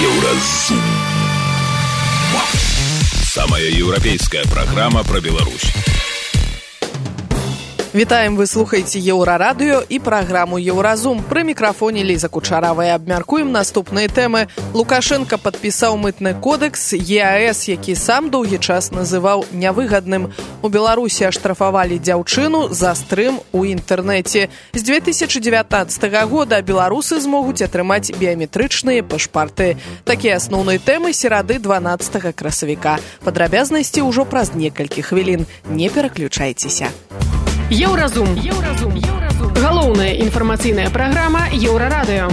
Еўразум. Самая еўрапейская программа про Беларусь. Вітаем, вы слухаеце Еўрарадыё і праграму Еўразум. Пры мікрафоне Ліза Кучарава. Абмяркуем наступныя тэмы. Лукашенко падпісаў мытны кодекс ЕАЭС, які сам доўгі час называў нявыгадным. У Беларусі аштрафавалі дзяўчыну за стрым у інтэрнэце. З 2019 года беларусы змогуць атрымаць біяметрычныя пашпарты. Такія асноўныя тэмы серады 12 красавіка. Падрабязнасці ўжо праз некалькі хвілін. Не пераключайцеся. Еўразум. Галоўная інфармацыйная праграма Еўрарадыё.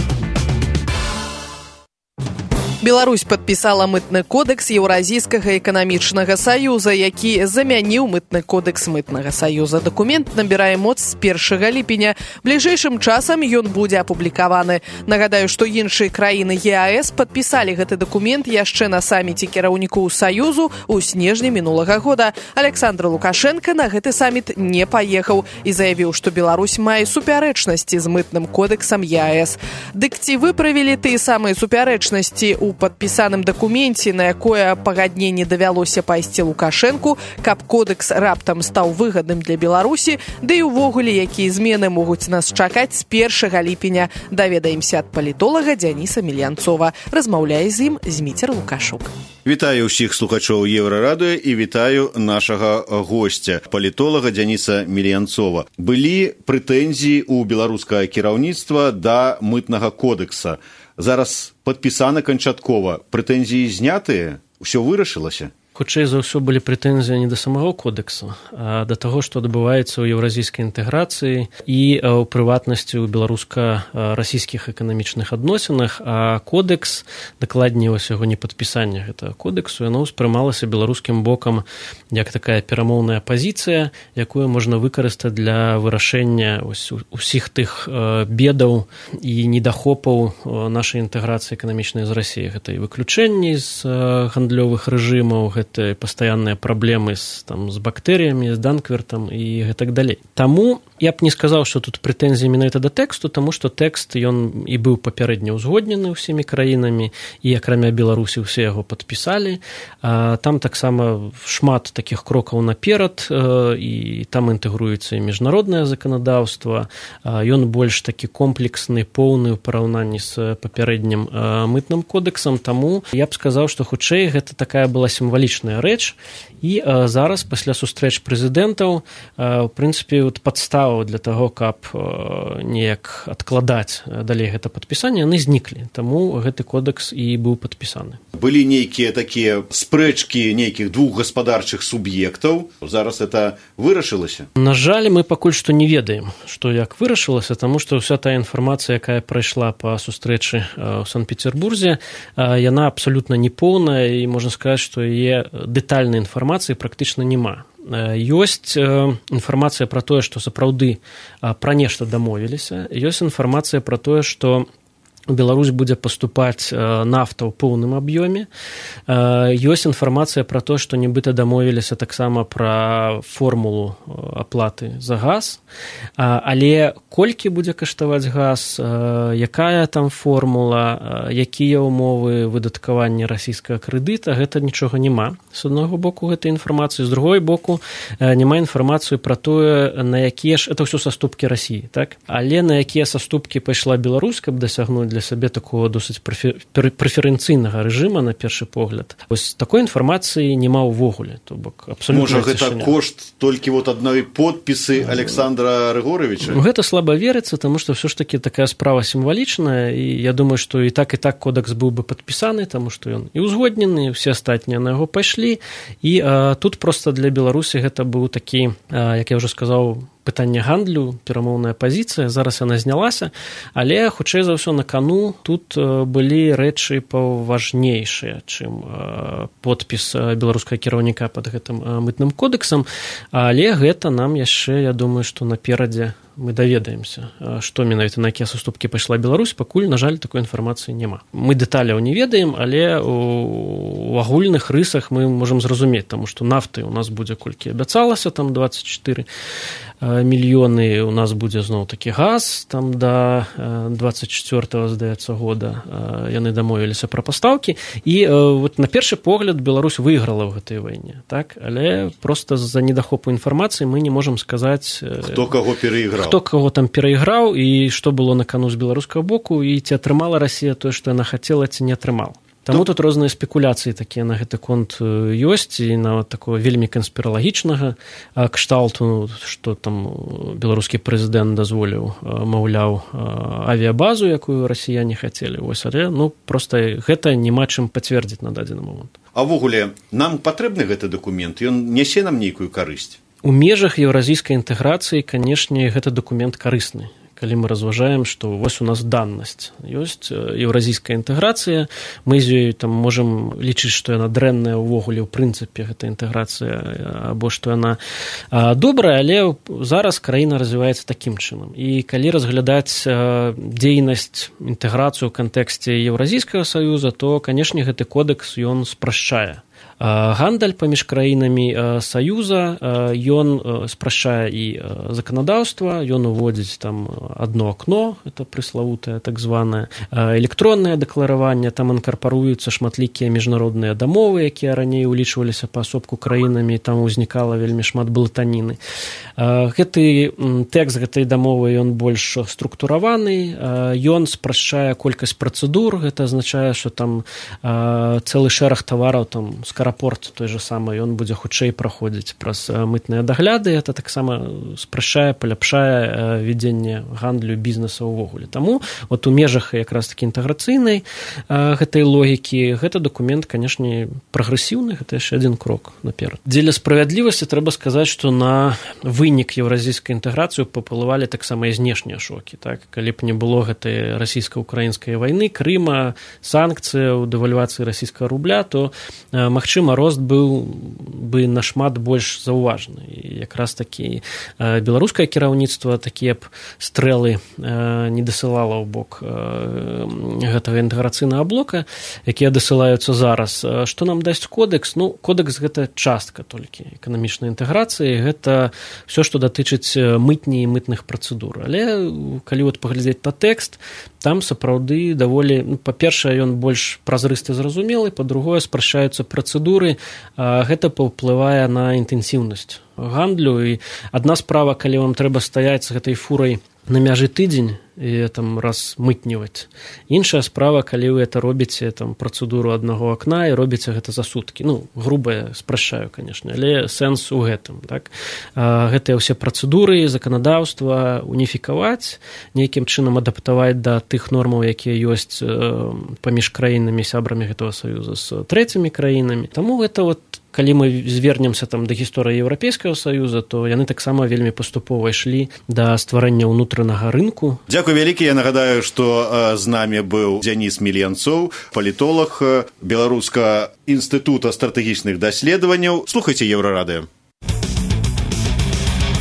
Беларусь падпісала мытны кодекс Еўразійскага эканамічнага саюза, які замяніў мытны кодекс мытнага саюза. Дакумент набірае моц з 1 ліпеня. Бліжэйшым часам ён будзе апублікаваны. Нагадаю, што іншыя краіны ЕАЭС падпісалі гэты дакумент яшчэ на саміце кіраўнікоў саюзу ў снежні мінулага года. Александр Лукашенко на гэты саміт не паехаў і заявіў, што Беларусь мае супярэчнасці з мытным кодексам ЕАЭС. Дык ці выправілі тыя самыя супярэчнасці у падпісаным дакуменце, на якое пагадненне давялося пайсці Лукашэнку, каб кодекс раптам стаў выгадным для Беларусі, ды і ўвогуле, якія змены могуць нас чакаць з 1 ліпеня. Даведаемся ад палітолага Дзяніса Мільянцова. Размаўляе з ім Зміцер Лукашук. Вітаю ўсіх слухачоў Еўрарадыё і вітаю нашага госця, палітолага Дзяніса Мільянцова. Былі прэтэнзіі ў беларускага кіраўніцтва да мытнага кодекса. Зараз падпісаны канчаткова. Прэтэнзіі знятыя? Усё вырашылася? Хутчэй за ўсё былі прэтэнзіі не да самого кодексу, а да таго, што адбываецца ў еўразійскай інтэграцыі і ў прыватнасці ў беларуска-расійскіх эканамічных адносінах. А кодекс, дакладней вось яго непадпісанне гэтага кодексу, яно ўспрымалася беларускім бокам як такая перамоўная пазіцыя, якую можна выкарыстаць для вырашэння усіх тых бедаў і недахопаў нашай інтэграцыі эканамічнай з Расіяй. Гэта і выключэнні з гандлёвых рэжымаў, гэта пастаянныя праблемы з бактэрыямі, з данквертам і гэтак далей. Таму я б не сказаў, што тут прэтэнзіі менавіта да тэксту, таму што тэкст ён і быў папярэдне ўзгоднены ўсімі краінамі, і акрамя Беларусі ўсе яго падпісалі. Там таксама шмат такіх крокаў наперад, і там інтэгруецца і міжнароднае заканадаўства. Ён больш такі комплексны, поўны ў параўнанні з папярэднім мытным кодексам, таму я б сказаў, што хутчэй гэта такая была сімвалічная рэч, і зараз пасля сустрэч прэзідэнтаў у прынцыпе падставаў для таго, каб неяк адкладаць далей гэта падпісанне, яны зніклі, таму гэты кодекс і быў падпісаны. Былі нейкія такія спрэчкі нейкіх двух гаспадарчых суб'ектаў, зараз это вырашылася? На жаль, мы пакуль што не ведаем, што як вырашылася, таму што ўся тая інфармацыя, якая прайшла па сустрэчы ў Санкт-Петербурзе, яна абсалютна непоўная, і можна сказаць, што яе дэтальнай інфармацыі практычна няма. Ёсць інфармацыя пра тое, што сапраўды пра нешта дамовіліся, ёсць інфармацыя пра тое, што Беларусь будзе паступаць нафта ў поўным аб'ёме. Ёсць інфармацыя пра тое, што нібыта дамовіліся таксама пра формулу аплаты за газ, але колькі будзе каштаваць газ, якая там формула, якія ўмовы выдаткавання расійскага крэдыта, гэта нічога няма. З аднаго боку гэтай інфармацыі, з другой боку няма інфармацыі пра тое, на якія ж, это ўсё саступкі Расіі, так? Але на якія саступкі пайшла Беларусь, каб дасягнуць для сабе такого досыць прэферэнцыйнага рэжыма на першы погляд. Вось такой інфармацыі няма ўвогуле. То бок абсалютна можа, гэта кошт толькі вот адной подпісы Александра Рыгоровича? Гэта слаба верыцца, таму што ўсё ж такі такая справа сімвалічная, і я думаю, што і так кодекс быў бы падпісаны, таму што ён і ўзгоднены, все астатнія на яго пайшлі, і тут проста для Беларусі гэта быў такі, як я ўжо сказаў, пытанне гандлю, перамоўная пазіцыя, зараз яна знялася, але хутчэй за ўсё на кану тут былі рэчы паважнейшыя, чым подпіс беларускага кіраўніка пад гэтым мытным кодексам, але гэта нам яшчэ, я думаю, што наперадзе мы даведаемся, што менавіта на якія саступкі пайшла Беларусь, пакуль, на жаль, такой інфармацыі няма. Мы дэталяў не ведаем, але у агульных рысах мы можам зразумець, таму што нафты у нас будзе колькі абяцалася, там 24 мільёны, у нас будзе зноў такі газ, там да 24-го, здаецца, года яны дамовіліся пра пастаўкі, і вот на першы погляд Беларусь выйграла ў гэтай вайне, так? Але проста з-за недахопу інфармацыі мы не можам сказаць, хто каго там перайграў і што было на кану з беларускага боку, і ці атрымала Расія тое, што яна хацела, ці не атрымала. Таму тут розныя спекуляцыі такія на гэты конт ёсць, і нават такого вельмі канспіралагічнага кшталту, што там беларускі прэзідэнт дазволіў, маўляў, авіябазу, якую расіяне хацелі. Вось, але проста гэта няма чым пацвердзіць на дадзены момант. А ўвогуле, нам патрэбны гэты дакумент? Ён нясе нам нейкую карысць? У межах еўразійскай інтэграцыі, канешне, гэты дакумент карысны. Калі мы разважаем, што вось у нас даннасць ёсць, еўразійская інтэграцыя, мы з ёй там можам лічыць, што яна дрэнная ўвогуле ў прынцыпе, гэта інтэграцыя, або што яна добрая, але зараз краіна развіваецца такім чынам. І калі разглядаць дзейнасць, інтэграцыю ў кантэксце Еўразійскага саюза, то, канешне, гэты кодекс ён спрашчае гандаль паміж краінамі саюза, ён спрашчае і заканадаўства, ён уводзіць там одно акно, это прыславутае так званае электроннае дэклараванне, там інкарпаруюцца шматлікія міжнародныя дамовы, якія раней улічваліся паасобку краінамі, там узнікала вельмі шмат блытаніны. Гэты тэкст гэтай дамовы ён больш структураваны, ён спрашчае колькасць працэдур, гэта азначае, што там цэлы шэраг тавараў там скарапорт той же самы, ён будзе хутчэй праходзіць праз мытныя дагляды, это таксама спрашчае, паляпшае вядзенне гандлю бізнеса ўвогуле. Таму вот у межах якраз такі інтэграцыйнай гэтай логікі гэты дакумент, канешне, прагрэсіўны, гэта яшчэ адзін крок наперад. Дзеля справядлівасці трэба сказаць, што на вынік еўразійскай інтэграцыі паўплывалі таксама і знешнія шокі. Так? Калі б не было гэтай расійска-украінскай вайны, Крыма, санкцыяў, дэвальвацыі расійскага рубля, то магчыма, рост быў бы нашмат больш заўважны. І якраз такі беларускае кіраўніцтва такія б стрэлы не дасылала ў бок гэтага інтэграцыйнага блока, якія дасылаюцца зараз. Што нам дасць кодекс? Кодекс гэта частка толькі эканамічнай інтэграцыі, гэта все, што датычыць мытні і мытных працэдур. Але калі вот паглядзець на тэкст, там сапраўды даволі, па-першае, ён больш празрысты зразумелы, па-другое, спрашчаюцца працэдуры, гэта паўплывае на інтэнсіўнасць гандлю. І адна справа, калі вам трэба стаяць з гэтай фурай на мяжы тыдзень і там раз мытніваць. Іншая справа, калі вы это робіце там працэдуру аднаго акна і робіце гэта за суткі. Груба спрашчаю, канешне, але сэнс у гэтым. Так? Гэтыя ўсе працэдуры, заканадаўства уніфікаваць, нейкім чынам адаптаваць да тых нормаў, якія ёсць паміж краінамі, сябрамі гэтага саюза з трэцімі краінамі. Таму гэта вот калі мы звернемся там да гісторыі Еўрапейскага саюза, то яны таксама вельмі паступова ішлі да стварэння ўнутранага рынку. Дзякуй вялікі. Я нагадаю, што з намі быў Дзяніс Мільянцоў, палітолог Беларускага інстытута стратэгічных даследаванняў. Слухайце Еўрарадыё.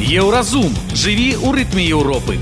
Еўразум. Жыві ў рытме Еўропы.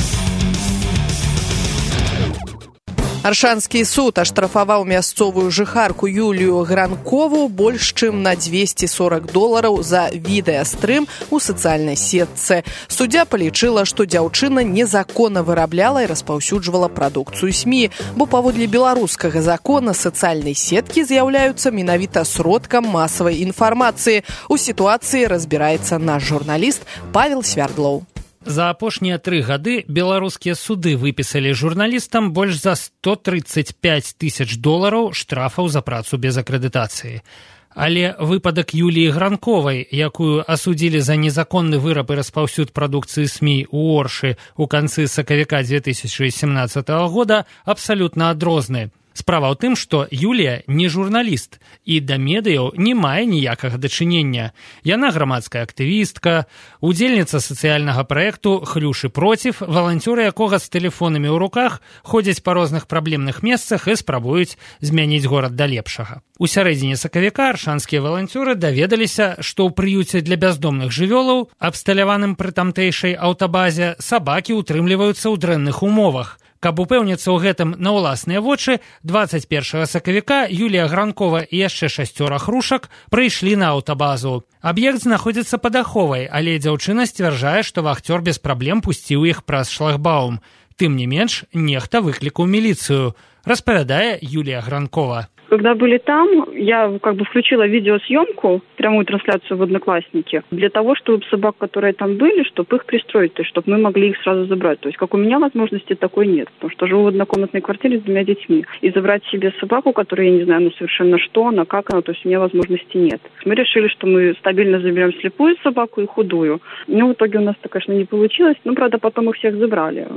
Аршанскі суд аштрафаваў мясцовую жыхарку Юлію Гранкову больш чым на $240 за відэастрым у сацыяльнай сетцы. Суддзя палічыла, што дзяўчына незаконна вырабляла і распаўсюджвала прадукцыю СМІ, бо паводле беларускага закона сацыяльнай сеткі з'яўляюцца менавіта сродкам масавай інфармацыі. У сітуацыі разбіраецца наш журналіст Павел Свярдлоў. За апошнія 3 гады беларускія суды выпісалі журналістам больш за $135 000 штрафаў за працу без акрэдытацыі. Але выпадак Юліі Гранковай, якую асудзілі за незаконны выраб і распаўсюд прадукцыі СМІ ў Оршы ў канцы сакавіка 2017 года, абсалютна адрозны. Справа ў тым, што Юлія не журналіст і да медыяў не мае ніякага дачынення. Яна грамадская актывістка, удзельніца сацыяльнага праекту «Хлюш і проціў», валанцёры якога з тэлефонамі ў руках ходзяць па розных праблемных месцах і спрабуюць змяніць горад да лепшага. У сярэдзіне сакавіка аршанскія валанцёры даведаліся, што ў прыюце для бяздомных жывёлаў, абсталяваным пры тамтэйшай аўтабазе, сабакі ўтрымліваюцца ў дрэнных умовах. Каб упэўніцца ў гэтым на ўласныя вочы, 21 сакавіка Юлія Гранкова і яшчэ 6 хрушак прыйшлі на аўтабазу. Аб'ект знаходзіцца пад аховай, але дзяўчына сцвярджае, што вахцёр без праблем пусціў іх праз шлагбаум. Тым не менш, нехта выклікаў міліцыю, распавядае Юлія Гранкова. Когда были там, я включила видеосъемку, прямую трансляцию в Одноклассники, для того, чтобы собак, которые там были, чтобы их пристроить, то есть чтобы мы могли их сразу забрать. То есть как у меня возможности такой нет, потому что живу в однокомнатной квартире с 2 детьми. И забрать себе собаку, которая, я не знаю, совершенно что она, как она, то есть у меня возможности нет. Мы решили, что мы стабильно заберем слепую собаку и худую. Но в итоге у нас это, конечно, не получилось. Но, правда, потом их всех забрали.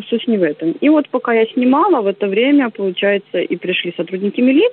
Суть не в этом. И вот пока я снимала, в это время, получается, и пришли сотрудники милиции.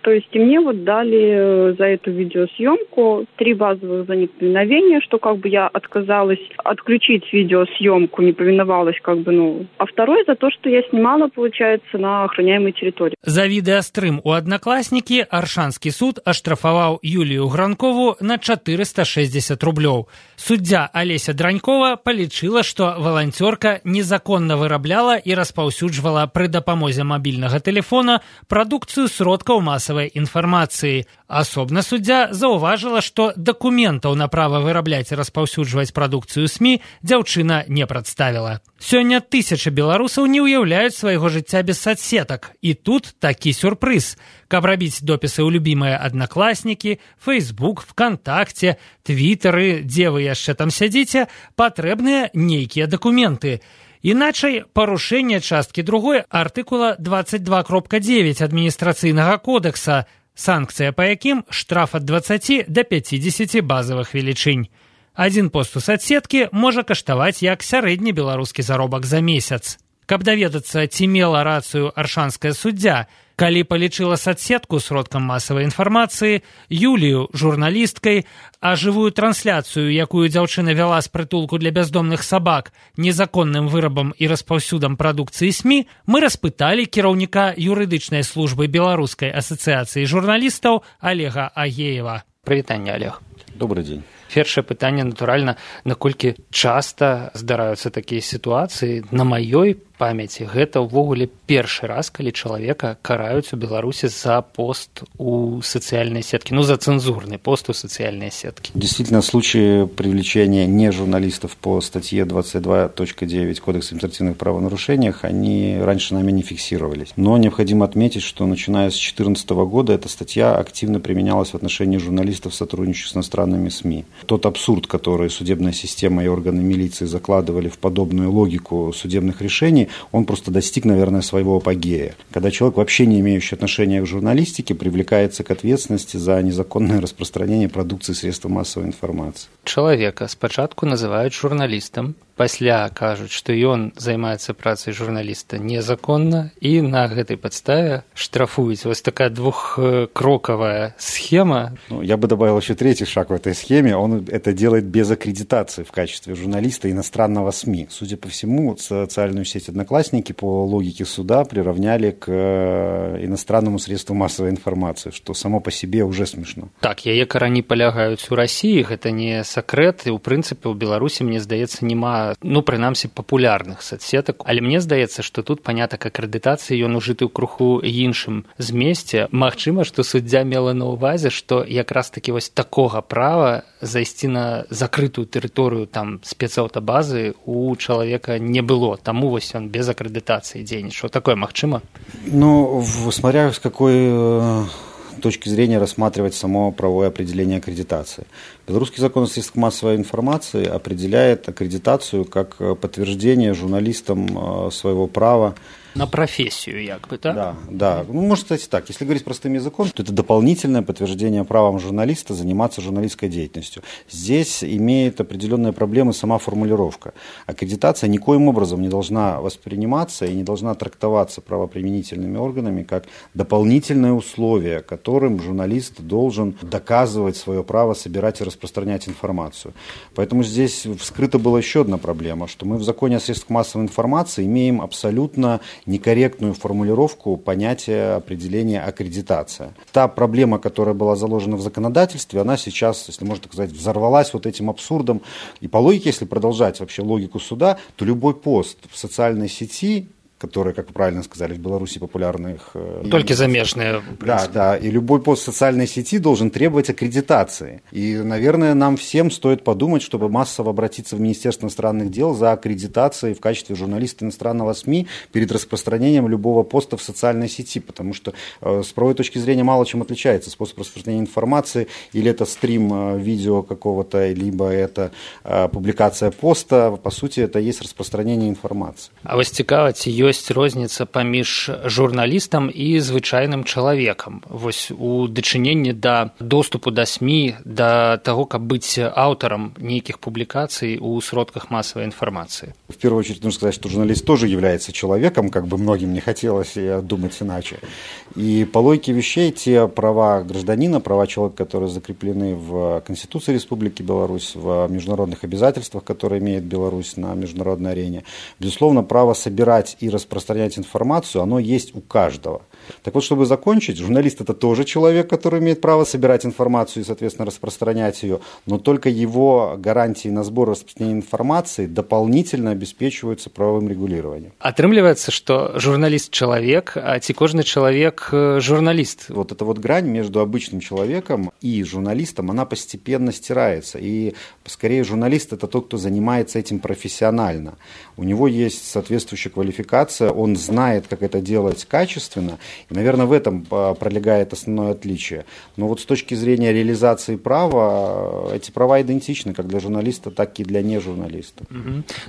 То есть и мне дали за эту видеосъемку 3 базовых за неповиновение, что я отказалась отключить видеосъемку, не повиновалась а второй за то, что я снимала, получается, на охраняемой территории. За відэастрым у Одноклассники Аршанскі суд аштрафаваў Юлію Гранкову на 460 рублёў. Суддзя Алеся Дранькова палічыла, што валанцёрка незаконна вырабляла і распаўсюджвала пры дапамозе мабільнага тэлефона прадукцыю сродкаў масавай інфармацыі. Асобна суддзя заўважыла, што дакументаў на права вырабляць і распаўсюджваць прадукцыю СМІ дзяўчына не прадставіла. Сёння тысячы беларусаў не ўяўляюць свайго жыцця без соцсетак. І тут такі сюрпрыз. Каб рабіць допісы ў любімыя Одноклассники, Facebook, ВКонтакте, Твиттеры, дзе вы яшчэ там сядзіце, патрэбныя нейкія дакументы. Іначай парушэнне часткі 2 артыкула 22.9 адміністрацыйнага кодекса, санкцыя па якім штраф ад 20 да 50 базавых велічынь. Адзін пост у соцсеткі можа каштаваць як сярэдні беларускі заробак за месяц. Каб даведацца, ці мела рацыю аршанская суддзя, калі палічыла соцсетку сродкам масавай інфармацыі, Юлію журналісткай, а жывую трансляцыю, якую дзяўчына вяла з прытулку для бяздомных сабак, незаконным вырабам і распаўсюдам прадукцыі СМІ, мы распыталі кіраўніка юрыдычнай службы Беларускай асацыяцыі журналістаў Олега Агеева. Прывітанне, Олег. Добрый день. Першае пытанне, натуральна, наколькі часта здараюцца такія сітуацыі. На маёй памяці гэта ўвогуле першы раз, калі чалавека караюць у Беларусі за пост у социальной сетке, за цензурный пост у социальной сетки. Действительно, случаи привлечения не журналистов по статье 22.9 Кодекса административных правонарушениях, они раньше нами не фиксировались. Но необходимо отметить, что начиная с 2014 года эта статья активно применялась в отношении журналистов, сотрудничающих с иностранными СМИ. Тот абсурд, который судебная система и органы милиции закладывали в подобную логику судебных решений, он просто достиг, наверное, своего апогея. Когда человек, вообще не имеющий отношения к журналистике, привлекается к ответственности за незаконное распространение продукции средств массовой информации. Человека спачатку называют журналистом, пасля кажуць, што ён займаецца працай журналіста незаконна, і на гэтай падставе штрафуюць. Вось такая двухкроковая схема. Я бы добавил еще третий шаг в этой схеме. Он это делает без аккредитации в качестве журналиста иностранного СМИ. Судя по всему, социальную сеть Одноклассники по логике суда приравняли к иностранному средству массовой информации, что само по себе уже смешно. Так, яе карані палягаюць у Расіі, гэта не сакрэт, і ў прынцыпе ў Беларусі, мне здаецца, няма прынамсі папулярных соцсетак, але мне здаецца, што тут панятак акрэдытацыі ён ужыты ў круху іншым змесце. Магчыма, што суддзя мела на ўвазе, што якраз такі вось такога права зайсці на закрытую тэрыторыю там спецаўтабазы у чалавека не было, таму вось ён без акрэдытацыі дзейнічаў. Такое магчыма? Смотря с какой точки зрения рассматривать само правовое определение аккредитации. Белорусский закон о средствах массовой информации определяет аккредитацию как подтверждение журналистам своего права На профессию, якобы, да? Да. Можно сказать так. Если говорить простым языком, то это дополнительное подтверждение правом журналиста заниматься журналистской деятельностью. Здесь имеет определенные проблемы сама формулировка. Аккредитация никоим образом не должна восприниматься и не должна трактоваться правоприменительными органами как дополнительное условие, которым журналист должен доказывать свое право собирать и распространять информацию. Поэтому здесь вскрыта была еще одна проблема, что мы в законе о средствах массовой информации имеем абсолютно некорректную формулировку понятия определения аккредитация. Та проблема, которая была заложена в законодательстве, она сейчас, если можно так сказать, взорвалась вот этим абсурдом. И по логике, если продолжать вообще логику суда, то любой пост в социальной сети, которые, как вы правильно сказали, в Беларуси популярных... Только замежные. Да, и любой пост в социальной сети должен требовать аккредитации. И, наверное, нам всем стоит подумать, чтобы массово обратиться в Министерство иностранных дел за аккредитацией в качестве журналиста иностранного СМИ перед распространением любого поста в социальной сети, потому что с правовой точки зрения мало чем отличается способ распространения информации, или это стрим видео какого-то, либо это публикация поста, по сути, это есть распространение информации. А вас цікавіць, ёсць розніца паміж журналістам і звычайным чалавекам вось у дачыненні да доступу да СМІ, да таго, каб быць аўтарам нейкіх публікацый у сродках массовой информации? В первую очередь нужно сказать, что журналист тоже является человеком, как бы многим не хотелось думать иначе. И по логике вещей те права гражданина, права человека, которые закреплены в Конституции Республики Беларусь, в международных обязательствах, которые имеет Беларусь на международной арене, безусловно, право собирать и распространять информацию, оно есть у каждого. Так вот, чтобы закончить, журналист – это тоже человек, который имеет право собирать информацию и, соответственно, распространять ее, но только его гарантии на сбор и распространение информации дополнительно обеспечиваются правовым регулированием. Атрымліваецца, что журналист – человек, а ці кожны человек – журналист. Вот эта вот грань между обычным человеком и журналистом, она постепенно стирается. И, скорее, журналист – это тот, кто занимается этим профессионально. У него есть соответствующая квалификация, он знает, как это делать качественно, и, наверное, в этом пролегает основное отличие. Но вот с точки зрения реализации права, эти права идентичны как для журналиста, так и для нежурналиста.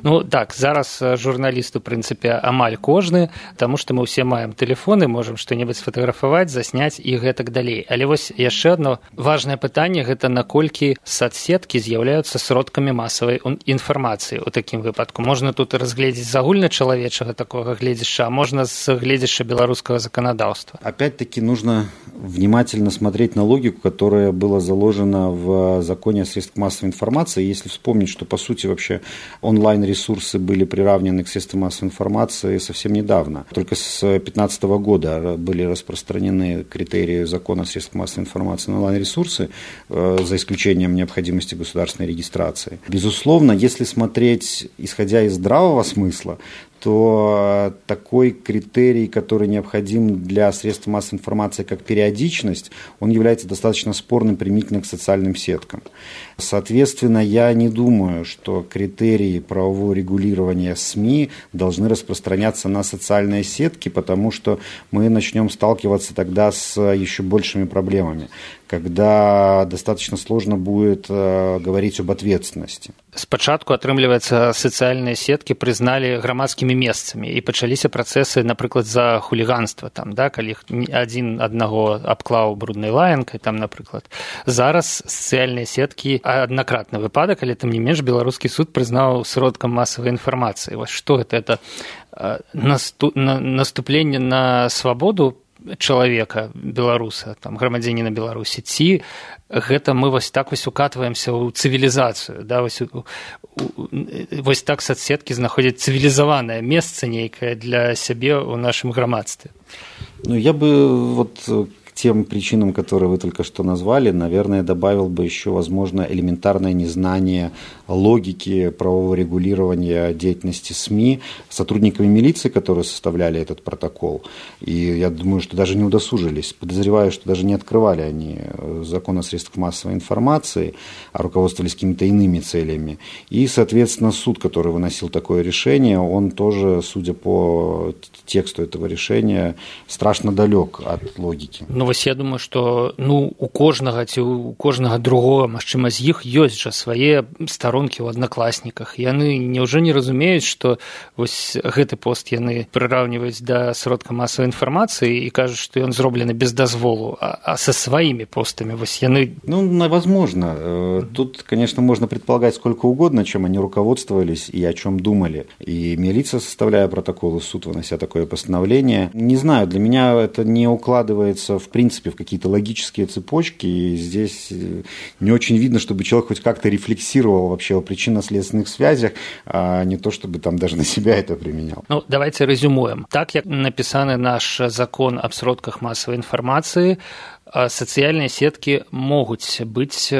Ну, так, зараз журналист, в принципе, амаль кожны, потому что мы все маем телефоны, можем что-нибудь сфотографовать, засняць і гэтак далей. Але вось яшчэ одно важное пытанне, гэта наколькі соцсеткі з'яўляюцца сродкамі масавай інфармацыі у такім выпадку. Можна тут разгледзець з агульначалавечага такога гледзяшча, а можна з гледзяшча беларускага законодаўства. Опять-таки нужно внимательно смотреть на логику, которая была заложена в законе о средствах массовой информации. Если вспомнить, что по сути вообще онлайн-ресурсы были приравнены к средствам массовой информации совсем недавно. Только с 2015 года были распространены критерии закона о средствах массовой информации на онлайн-ресурсы, за исключением необходимости государственной регистрации. Безусловно, если смотреть, исходя из здравого смысла, то такой критерий, который необходим для средств массовой информации, как периодичность, он является достаточно спорным применительно к социальным сеткам. Соответственно, я не думаю, что критерии правового регулирования СМИ должны распространяться на социальные сетки, потому что мы начнем сталкиваться тогда с еще большими проблемами, когда достаточно сложно будет говорить об ответственности. Спачатку, атрымліваецца, сацыяльныя сеткі прызналі грамадскімі месцамі і пачаліся працэсы, напрыклад, за хуліганства, там, да, калі адзін аднаго абклаў бруднай лаянкай, там, напрыклад. Зараз сацыяльныя сеткі аднакратны выпадак, але тым не менш беларускі суд прызнаў сродкам масавай інфармацыі. Вось што гэта? Это наступленне на свабоду чалавека, беларуса, там, грамадзяніна Беларусі, ці гэта мы вось так вось укатваемся ў цывілізацыю, да, вось так соцсеткі знаходзяць цывілізаванае месца нейкае для сябе ў нашым грамадстве. Ну, я бы вот к тем причинам, которые вы только что назвали, наверное, добавил бы еще, возможно, элементарное незнание логики правового регулирования деятельности СМИ сотрудниками милиции, которые составляли этот протокол. И я думаю, что даже не удосужились. Подозреваю, что даже не открывали они закон о средствах массовой информации, а руководствовались какими-то иными целями. И, соответственно, суд, который выносил такое решение, он тоже, судя по тексту этого решения, страшно далек от логики. Ну вось я думаю, што у кожнага ці у кожнага другога, магчыма, з іх ёсць жа свае старонкі ў аднакласніках. Яны няўжо не разумеюць, што вось гэты пост яны прыраўніваюць да сродка масавай інфармацыі і кажуць, што ён зроблены без дазволу, а са сваімі постамі вось яны... Возможно. Тут, конечно, можно предполагать сколько угодно, чем они руководствовались и о чем думали. И милиция, составляя протоколы, суд, вынося такое постановление. Не знаю, для меня это не укладывается, в принципе, в какие-то логические цепочки. И здесь не очень видно, чтобы человек хоть как-то рефлексировал вообще о причинно-следственных связях, а не то, чтобы там даже на себя это применял. Давайте резюмуем. Так, как написаны наш закон об сродках массовой информации, сацыяльныя сеткі могуць быць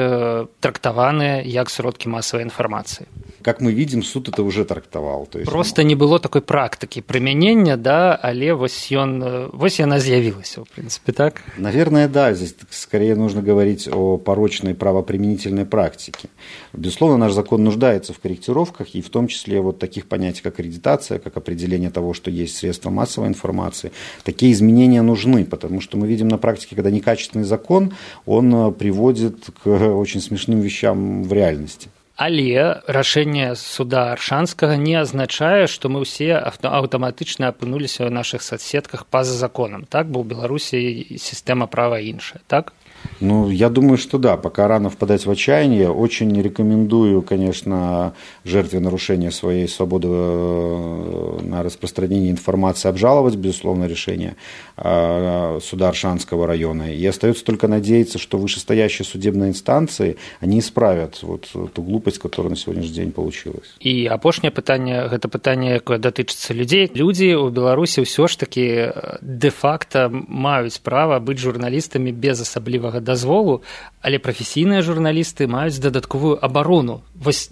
трактаваныя як сродкі масавай інфармацыі. Как мы видим, суд это уже трактовал. То есть... Просто не было такой практыкі прымянення, да, але вось яна з'явілася, в принципе, так? Наверное, да. Здесь скорее нужно говорить о порочной правоприменительной практике. Безусловно, наш закон нуждается в корректировках, и в том числе вот таких понятий, как аккредитация, как определение того, что есть средства массовой информации. Такие изменения нужны, потому что мы видим на практике, когда некачественный закон, он приводит к очень смешным вещам в реальности. Але рашэнне суда Аршанскага не азначае, што мы ўсе аўтаматычна апынуліся ў нашых соцсетках па-за законам. Так? Бо ў Беларусі сістэма права іншая, так? Я думаю, что да, пока рано впадать в отчаяние. Очень рекомендую, конечно, жертве нарушения своей свободы на распространение информации обжаловать, безусловно, решение суда Аршанского района. И остается только надеяться, что вышестоящие судебные инстанции, они исправят вот ту глупость, которая на сегодняшний день получилась. И апошняе пытанне, гэта пытанне, якое датычыцца людзей. Людзі ў Беларусі ўсё ж таки де-факта маюць права быць журналістамі без асаблівага дазволу, але прафесійныя журналісты маюць дадатковую абарону. Вось,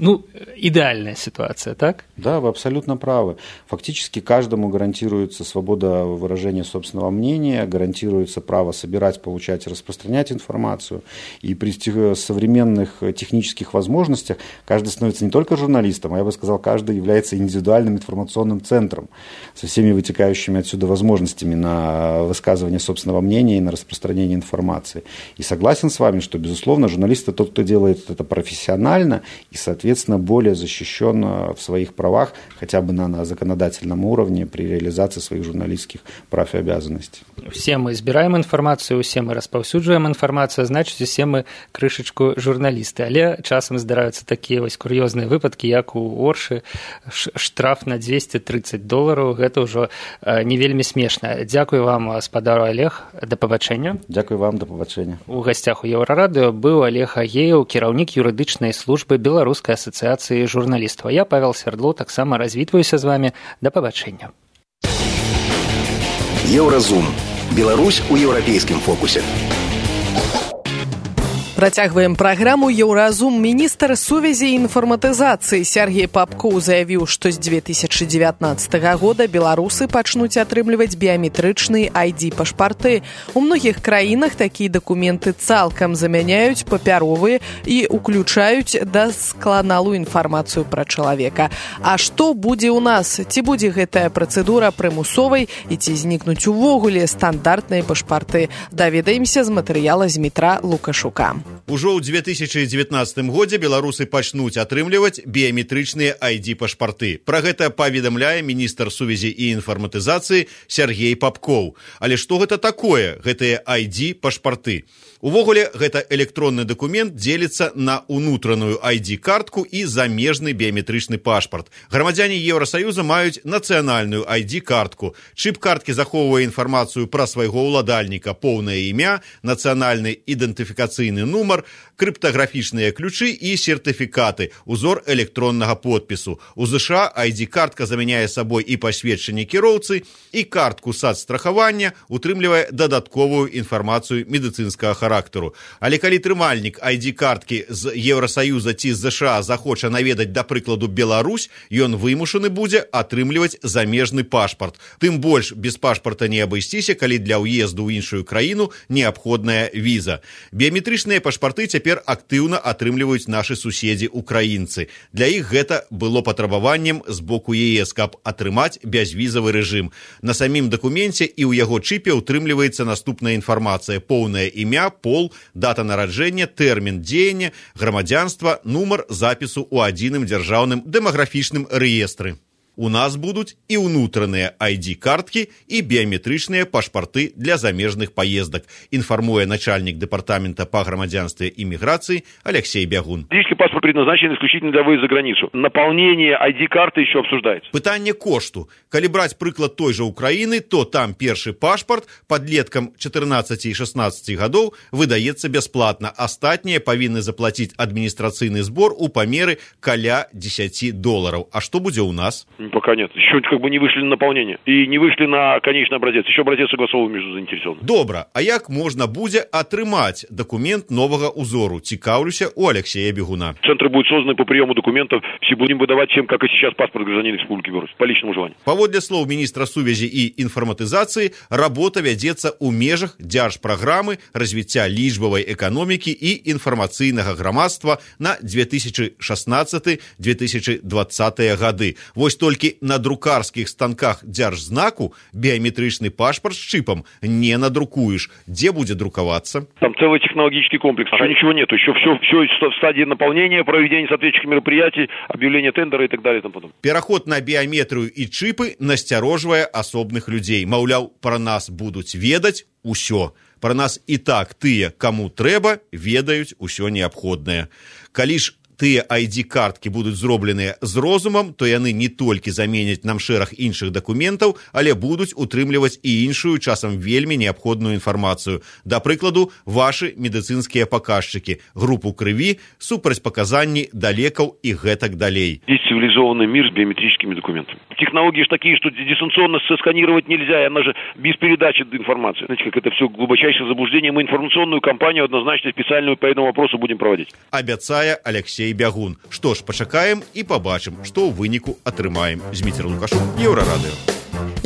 идеальная ситуация, так? Да, вы абсолютно правы. Фактически каждому гарантируется свобода выражения собственного мнения, гарантируется право собирать, получать, распространять информацию. И при современных технических возможностях каждый становится не только журналистом, а я бы сказал, каждый является индивидуальным информационным центром со всеми вытекающими отсюда возможностями на высказывание собственного мнения и на распространение информации. И согласен с вами, что, безусловно, журналист – это тот, кто делает это профессионально и, соответственно, более защищен в своих правах, хотя бы на законодательном уровне при реализации своих журналистских прав и обязанностей. Все мы избираем информацию, все мы распаўсюджваем информацию, значит, все мы крышечку журналисты. Але часам здараюцца такія вось кур'ёзныя выпадкі, як у Оршы, штраф на $230. Гэта ўжо не вельмі смешна. Дзякуй вам, спадару Олег, да пабачэння. Дзякуй вам, да пабачэння. У гасцях у Еўрарадыё быў Олег Агеяў, кіраўнік юрыдычнай службы Беларускай асацыяцыі журналістаў. Я, Павел Свердлоў, таксама развітваюся з вами. Да пабачэння. Еўразум. Беларусь у еўрапейскім фокусе. Працягваем праграму «Еўразум». Міністр сувязі і інфарматызацыі Сергей Попкоў заявіў, што з 2019 года беларусы пачнуць атрымліваць біяметрычныя ID-пашпарты. У многіх краінах такія дакументы цалкам замяняюць папяровыя і ўключаюць дасканалую інфармацыю пра чалавека. А што будзе ў нас? Ці будзе гэтая працэдура прымусовай і ці знікнуць увогуле стандартныя пашпарты? Даведаемся з матэрыяла Змітра Лукашука. Ужо ў 2019 годзе беларусы пачнуць атрымліваць біяметрычныя ID-пашпарты. Пра гэта паведамляе міністр сувязі і інфарматызацыі Сергей Попкоў. Але што гэта такое, гэтыя ID-пашпарты? Увогуле, гэта электронны дакумент дзеліцца на ўнутраную ID-картку і замежны біяметрычны пашпарт. Грамадзяне Еўрасаюза маюць нацыянальную ID-картку. Чып карткі захоўвае інфармацыю пра свайго ўладальніка, поўнае імя, нацыянальны ідэнтыфікацыйны нумар, крыптаграфічныя ключы і сертыфікаты, узор электроннага подпісу. У ЗША ID-картка замяняе сабой і пасведчанне кіроўцы, і картку сацстрахавання, утрымлівае дадатковую інфармацыю медыцынскага характару. Але калі трымальнік ID-карткі з Еўрасаюза ці з ЗША захоча наведаць, да прыкладу, Беларусь, ён вымушаны будзе атрымліваць замежны пашпарт. Тым больш без пашпарта не абысціся, калі для ўезду ў іншую краіну неабходная віза. Біяметрычныя пашпарты цяпер актыўна атрымліваюць нашы суседзі украінцы. Для іх гэта было патрабаваннем з боку ЕС, каб атрымаць бязвізавы рэжым. На самім дакуменце і ў яго чыпе ўтрымліваецца наступная інфармацыя: поўнае імя, пол, дата нараджэння, тэрмін дзеяння, грамадзянства, нумар запісу ў адзіным дзяржаўным дэмаграфічным рэестры. У нас будуць і ўнутраныя ID-карткі і біяметрычныя пашпарты для замежных поездак, информуя начальник департамента по громадянству и миграции Алексей Бягун. Личный паспорт предназначен исключительно для выезда за границу. Наполнение ID-карты еще обсуждается. Пытанне кошту. Калі браць прыклад той же Украины, то там першы пашпарт подлеткам 14 и 16 гадоў выдаецца бясплатна. Астатнія павінны заплатить администрацыйны сбор у памеры каля $10. А что будзе у нас? Пока нет. Еще как бы не вышли на наполнение. И не вышли на конечный образец. Еще образец согласован между заинтересованными. Добра. А як можна будзе атрымаць документ нового узору? Цікаўлюся у Алексея Бегуна. Центры будут созданы по приему документов. Все будем выдавать всем, как и сейчас, паспорт гражданина Республики Беларусь. По личному желанию. Паводле слоў міністра сувязі і інфарматызацыі, работа вядзецца ў межах дзяржпраграмы развіцця лічбавай эканомікі і інфармацыйнага грамадства на 2016-2020 гады. Вось толькі на друкарскіх станках дзяржзнаку біяметрычны пашпарт з чипом не надрукуеш. Дзе будзе друкавацца? Там целый технологический комплекс. Еще ничего нету. Еще все в стадии наполнения, проведения соответствующих мероприятий, объявления тендера и так далее. И тому подобное. Пераход на біяметрыю і чипы насцярожвае асобных людзей. Маўляў, пра нас будуць ведаць усё. Пра нас і так тыя, каму трэба, ведаюць усё неабходнае. Калі ж тыя ID-карткі будуць зробленыя з розумам, то яны не толькі заменяць нам шэраг іншых дакументаў, але будуць утрымліваць і іншую, часам вельмі неабходную інфармацыю. Да прыкладу, вашы медыцынскія паказчыкі, групу крыві, супрацьпаказанні да лекаў і гэтак далей. Есть цивилизованный мир с биометрическими документами. Технологии же такие, что дистанционно сосканировать нельзя, и она же без передачи информации. Знаете, как это все глубочайшее заблуждение. Мы информационную кампанию однозначно специальную по этому вопросу будем проводить. Абяцае Алексей Бягун. Што ж, пачакаем і пабачым, што ў выніку атрымаем. Зміцер Лукашук, Еўрарадыё.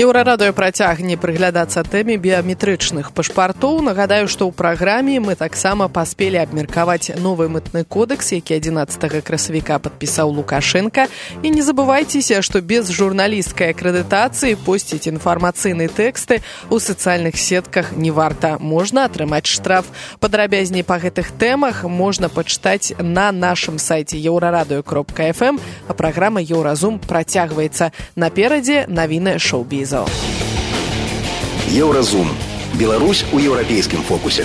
Еўрарадыё працягне прыглядацца тэме біяметрычных пашпартоў. Нагадаю, што ў праграме мы таксама паспелі абмеркаваць новы мытны кодэкс, які 11 красавіка падпісаў Лукашенко. І не забывайцеся, што без журналісцкай акрэдытацыі посціць інфармацыйныя тэксты ў сацыяльных сетках не варта. Можна атрымаць штраф. Падрабязней па гэтых тэмах можна пачытаць на нашым сайце еўрарадыё.фм, а праграма Еўразум працягваецца. Наперадзе навіны шоу-бізу. Еўразум. Беларусь у еўрапейскім фокусе.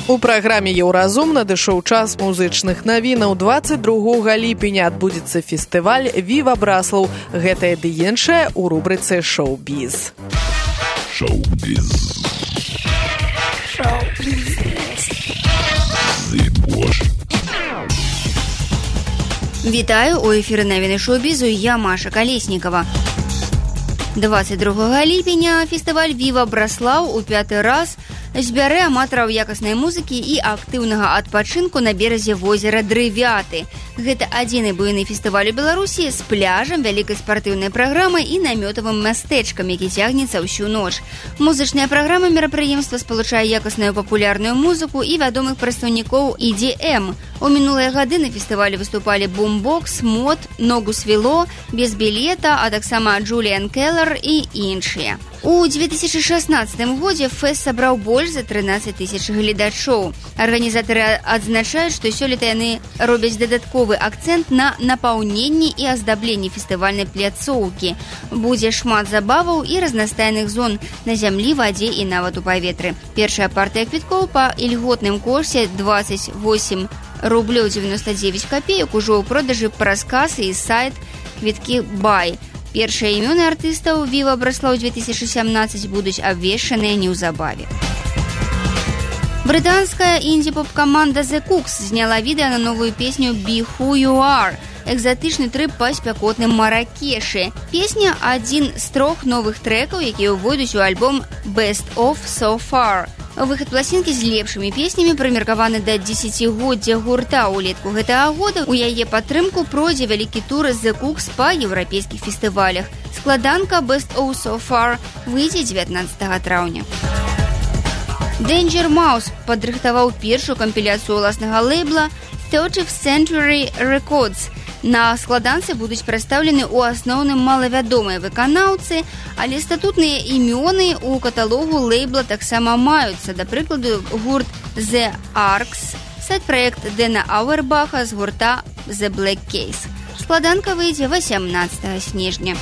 У праграме Еўразум надышоў час музычных навінаў. 22 ліпеня адбудзецца фестываль «Віва Браслаў». Гэтае ды іншае ў рубрыцы «Шоу-біз». Шоу-біз. Вітаю, у эфіры навіны шоу-бізу, я Маша Калеснікава. 22 ліпеня фестываль «Віва Браслаў» у 5-й раз збярэ аматараў якаснай музыкі і актыўнага адпачынку на беразе возера Дрывяты. Гэта адзіны буйны фестываль у Беларусі з пляжам, вялікай спартыўнай праграмай і намётавым мястэчкам, які цягнецца ўсю ноч. Музычная праграма мерапрыемства спалучае якасную папулярную музыку і вядомых прадстаўнікоў EDM. У минулыя гады на фестывалі выступалі Бумбокс, Мод, Ногу свело, Без білета, а таксама Джуліан Келлер і іншыя. У 2016 годзе фэст сабраў больш за 13 тысяч гледачоў. Арганізатары адзначаюць, што сёлета яны робяць дадатковы акцэнт на напаўненні і аздабленні фестывальнай пляцоўкі. Будзе шмат забаваў і разнастайных зон на зямлі, вадзе і нават у паветры. Першая партыя квіткоў па ільготным кошце 28 рублёў 99 копеек ужо ў продажы праз касы і сайт квіткі Бай. Першыя імёны артыстаў «Віва Браслаў» 2017 будуць абвешчаныя неўзабаве. Брытанская інді-поп-каманда The Cooks зняла відэа на новую песню «Be Who You Are». Экзатычны трып па спякотным Маракешы. Песня – адзін з 3 новых трэкаў, якія ўвойдуць у альбом «Best of So Far». Выхад пласінкі з лепшымі песнямі прымеркаваны да 10-годдзя гурта. Улетку гэтага года у яе падтрымку пройдзе вялікі тур The Cooks па еўрапейскіх фестывалях. Складанка «Best of So Far» выйдзе 19 траўня. Danger Mouse падрыхтаваў першую кампіляцыю ўласнага лейбла 30th Century Records. На складанцы будуць прадстаўлены ў асноўным малавядомыя выканаўцы, але статутныя імёны ў каталогу лейбла таксама маюцца. Да прыкладу, гурт The Arcs, сайт-праект Дэна Ауэрбаха з гурта The Black Case. Складанка выйдзе 18 снежня.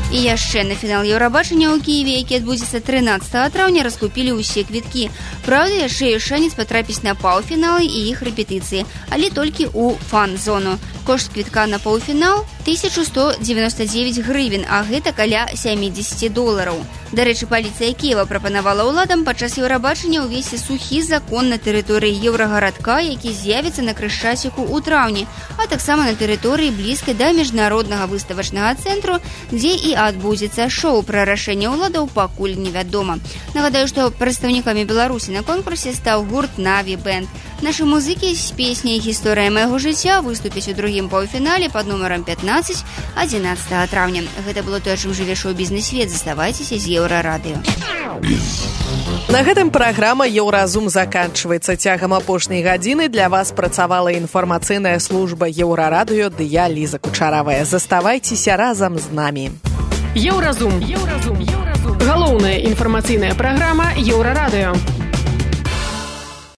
І яшчэ на фінал Еўрабачання ў Кіеве, які адбудзецца 13 траўня, раскупілі ўсе квіткі. Праўда, яшчэ ёсць шанец патрапіць на паўфіналы і іх рэпетыцыі, але толькі ў фан-зону. Кошт квітка на паўфінал 1199 гривен, а гэта каля $70. Дарэчы, паліцыя Кіева прапанавала ўладам падчас Еўрабачання ўвесці сухі закон на тэрыторыі Еўрагарадка, які з'явіцца на Крышчаціку ў траўні, а таксама на тэрыторыі блізкай да міжнароднага выставачнага цэнтру, дзе і адбудзецца шоу. Пра рашэнне ўладаў пакуль невядома. Нагадаю, што прадстаўнікамі Беларусі на конкурсе стаў гурт Наві Бэнд. Нашы музыкі з песняй «Гісторыя майго жыцця» выступяць у другім паўфінале пад нумарам 15 11 траўня. Гэта было тое, чым жыве шоу-бізнес-свет. Заставайцеся з Еўрарадыё. На гэтым праграма «Еўразум» заканчваецца. Цягам апошняй гадзіны для вас працавала інфармацыйная служба Еўрарадыё ды я, Ліза Кучаравая. Заставайцеся разам з намі. Еўразум. Галоўная інфармацыйная праграма Еўрарадыё.